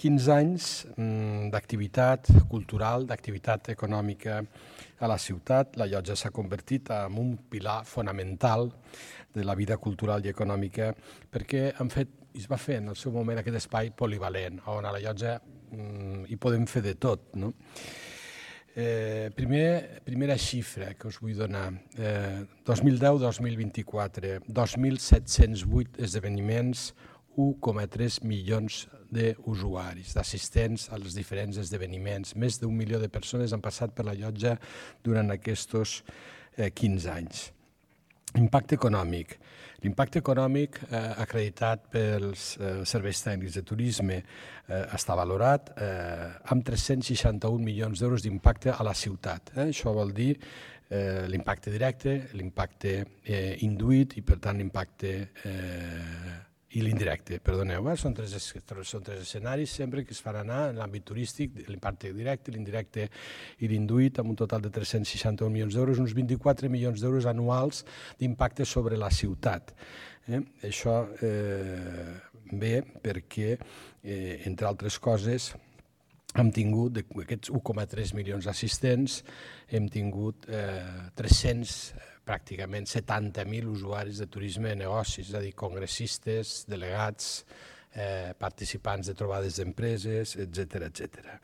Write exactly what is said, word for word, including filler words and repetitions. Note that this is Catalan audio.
quinze anys d'activitat cultural, d'activitat econòmica a la ciutat. La llotja s'ha convertit en un pilar fonamental de la vida cultural i econòmica perquè han fet, es va fer en el seu moment aquest espai polivalent, on a la llotja hi podem fer de tot, no? Eh, primer, primera xifra que us vull donar, eh, dos mil deu dos mil vint-i-quatre, dos mil set-cents vuit esdeveniments, u coma tres milions d'usuaris, d'assistents als diferents esdeveniments. Més d'un milió de persones han passat per la llotja durant aquests eh, quinze anys. Impacte econòmic. L'impacte econòmic eh, acreditat pels eh, serveis tècnics de turisme eh, està valorat eh, amb tres-cents seixanta-un milions d'euros d'impacte a la ciutat. Eh? Això vol dir eh, l'impacte directe, l'impacte eh, induït i, per tant, l'impacte eh, i l'indirecte, perdoneu, eh? són, tres, són tres escenaris sempre que es fan anar en l'àmbit turístic, l'impacte directe, l'indirecte i l'induït, amb un total de tres-cents seixanta-un milions d'euros, uns vint-i-quatre milions d'euros anuals d'impacte sobre la ciutat. Eh? Això eh, ve perquè, eh, entre altres coses, hem tingut, d'aquests u coma tres milions d'assistents, hem tingut eh, tres-cents, pràcticament setanta mil usuaris de turisme de negocis, és a dir, congressistes, delegats, eh, participants de trobades d'empreses, etcètera, etcètera.